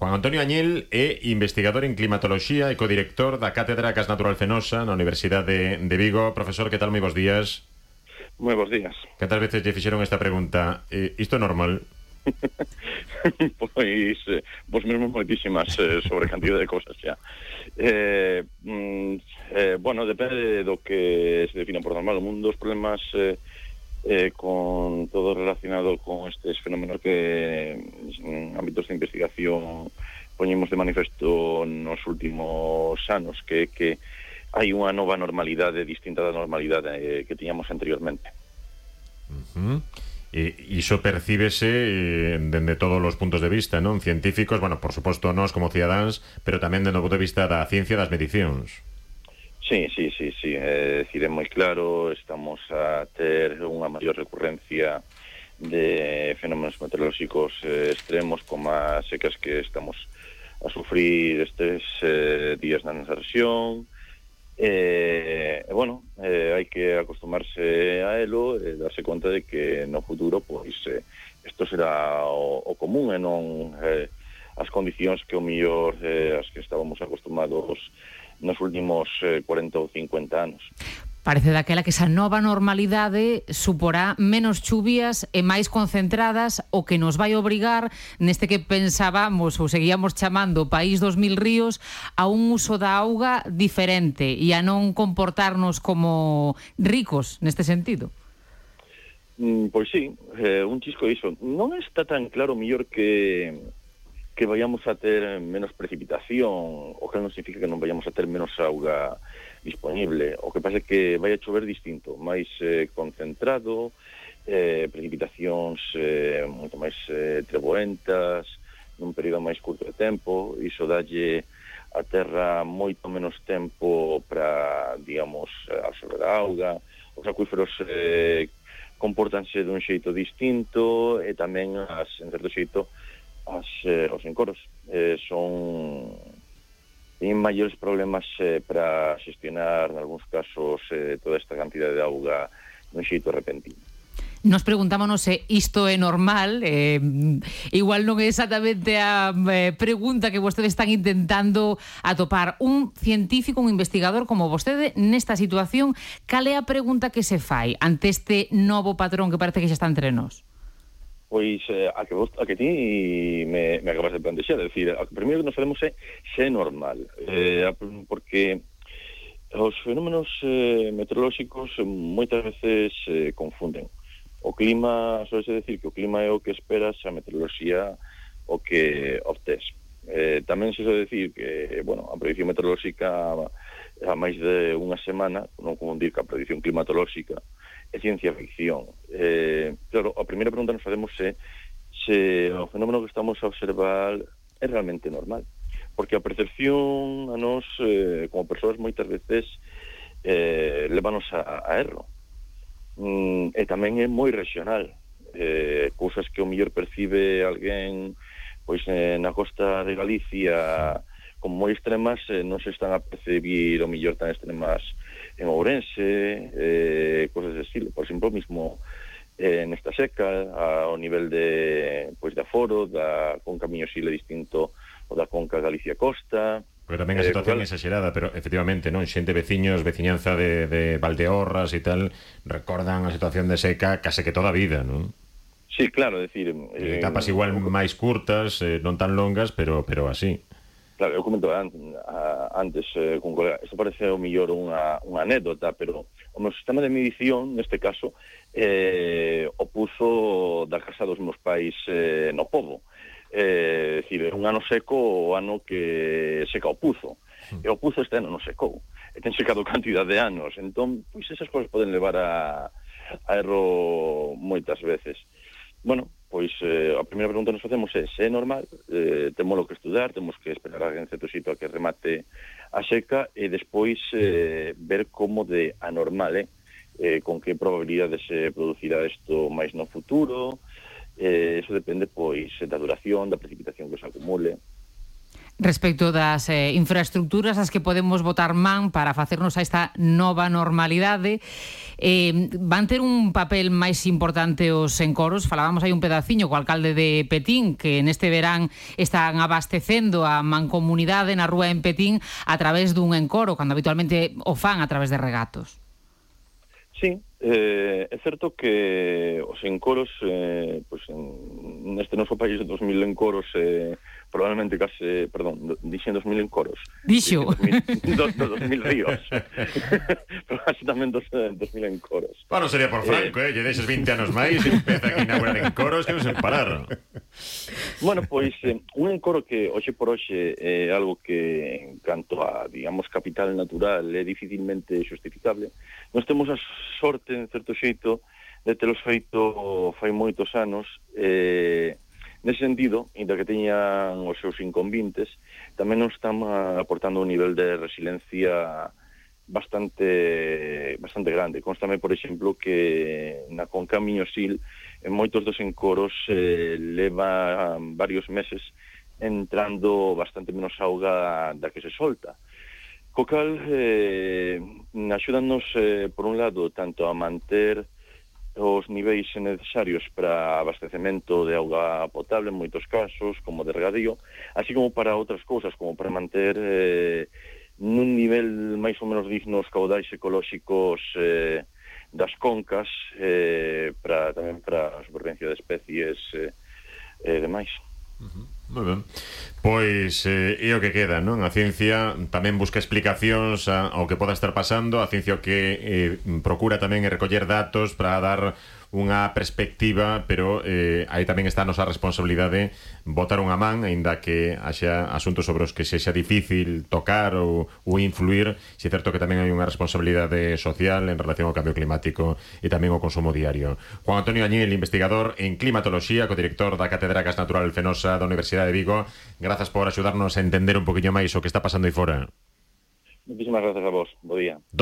Juan Antonio Añil é investigador en climatoloxía e codirector da Cátedra Gas Natural Fenosa na Universidade de Vigo. Profesor, que tal? Moi bons días. Moi bons días. Cantas veces lle fixeron esta pregunta? Isto é normal? Pois mesmo moitísimas sobre cantidad de cosas xa. Bueno, depende do que se defina por normal. Un dos problemas con todo relacionado con estes fenómenos que en ámbitos de investigación poñemos de manifesto nos últimos anos, que hai unha nova normalidade distinta da normalidade que tiñamos anteriormente. Iso percíbese dende todos os puntos de vista, non? Científicos, bueno, por suposto nós como cidadáns, pero tamén dende o punto de vista da ciencia das medicións. Sí, é dicir, é moi claro, estamos a ter unha maior recurrencia de fenómenos meteorolóxicos extremos como as secas que estamos a sufrir estes días na nosa rexión. Bueno, hai que acostumarse a elo e darse conta de que no futuro pois isto será o común e non as condicións que o mellor as que estábamos acostumados nos últimos 40 ou 50 anos. Parece daquela que esa nova normalidade suporá menos chuvias e máis concentradas, o que nos vai obrigar neste que pensábamos ou seguíamos chamando país dos mil ríos a un uso da auga diferente e a non comportarnos como ricos neste sentido. Pois sí, un chisco iso. Non está tan claro mellor que vayamos a ter menos precipitación, o que non significa que non vayamos a ter menos auga disponible. O que pasa é que vai a chover distinto, máis concentrado, precipitacións moito máis treboentas, nun período máis curto de tempo. Iso dalle a terra moito menos tempo para, digamos, absorber a auga. Os acuíferos compórtanse dun xeito distinto e tamén, en certo xeito, os encoros teñen maiores problemas para xestionar, en algúns casos, toda esta cantidad de auga nun xeito repentino. Nos preguntámonos se isto é normal, igual non é exactamente a pregunta que vostedes están intentando atopar. Un científico, un investigador como vostede, nesta situación, cal é a pregunta que se fai ante este novo patrón que parece que xa está entre nós? Pois a que ti me acabas de plantexar, é dicir, a que primeiro que nos facemos é se é normal, porque os fenómenos meteorolóxicos moitas veces confunden. O clima, soese decir que o clima é o que esperas, a meteoroloxía o que obtés. Tamén se soe decir que, bueno, a predicción meteorolóxica a máis de unha semana, non confundir que a predicción climatolóxica é ciencia ficción. Claro, a primeira pregunta nos facemos se o fenómeno que estamos a observar é realmente normal. Porque a percepción a nós, como persoas, moitas veces levanos a erro. E tamén é moi regional. Cousas que o mellor percibe alguén pois na costa de Galicia como moi extremas, non se están a percibir o mellor tan extremas en Ourense, cosas de estilo. Por exemplo, mismo nesta seca, ao nivel de aforo da conca Miño-Sil é distinto o da conca Galicia-Costa. Porque tamén a situación é exagerada, pero efectivamente, non, xente, veciños, veciñanza de Valdeorras e tal, recordan a situación de seca case que toda a vida, non? Sí, claro, é dicir... etapas igual máis curtas, non tan longas, pero así. Claro, eu comento antes con un colega, isto parece o mellor unha anécdota, pero o meu sistema de medición, neste caso, o puso da casa dos meus pais no pobo. É dicir, un ano seco o ano que seca o puzo. E o puzo este ano non secou. E ten secado cantidad de anos. Entón, pois esas cousas poden levar a erro moitas veces. Bueno, pois a primeira pregunta que nos facemos é se é normal, temos que estudar, temos que esperar a en certo sitio a que remate a seca e despois ver como de anormal con que probabilidade se producirá isto máis no futuro. Eso depende pois da duración, da precipitación que se acumule. Respecto das infraestructuras as que podemos botar man para facernos a esta nova normalidade, van ter un papel máis importante os encoros. Falábamos aí un pedaciño co alcalde de Petín, que neste verán están abastecendo a mancomunidade na rúa en Petín a través dun encoro, cando habitualmente o fan a través de regatos. Sí, é certo que os encoros, pues, neste noso país de 2000 encoros, probablemente case, perdón, dixen 2000 encoros. Dixo. 2000 ríos. Pero case tamén 2000 encoros. Bueno, sería por Franco, lle deixes 20 anos máis e empeza aquí a inaugurar encoros que non se parar. Bueno, pois, un encoro que hoxe por hoxe é algo que, en canto a, digamos, capital natural, é dificilmente justificable. Nós temos a sorte, en certo xeito, de telos feito fai moitos anos. Nese sentido, ainda que teñan os seus inconvintes, tamén nos están aportando un nivel de resiliencia bastante grande. Constame, por exemplo, que na Conca Miñosil, en moitos dos encoros leva varios meses entrando bastante menos auga da que se solta. Co cal, axúdanos, por un lado, tanto a manter os niveis necesarios para abastecemento de auga potable en moitos casos, como de regadío, así como para outras cousas, como para manter nun nivel máis ou menos digno os caudais ecolóxicos das concas, tamén para a supervivencia de especies e demais. Moi ben. Pois é o que queda, non? A ciencia tamén busca explicacións ao que poda estar pasando. A ciencia o que procura tamén recoller datos para dar unha perspectiva, pero aí tamén está a nosa responsabilidade botar unha man, aínda que haxa asuntos sobre os que sexa difícil tocar ou influir. Si é certo que tamén hai unha responsabilidade social en relación ao cambio climático e tamén ao consumo diario. Juan Antonio Añil, investigador en climatoloxía, codirector da Cátedra Gas Natural Fenosa da Universidade de Vigo, grazas por axudarnos a entender un poquinho máis o que está pasando aí fora. Muchísimas gracias a vos. Bo día.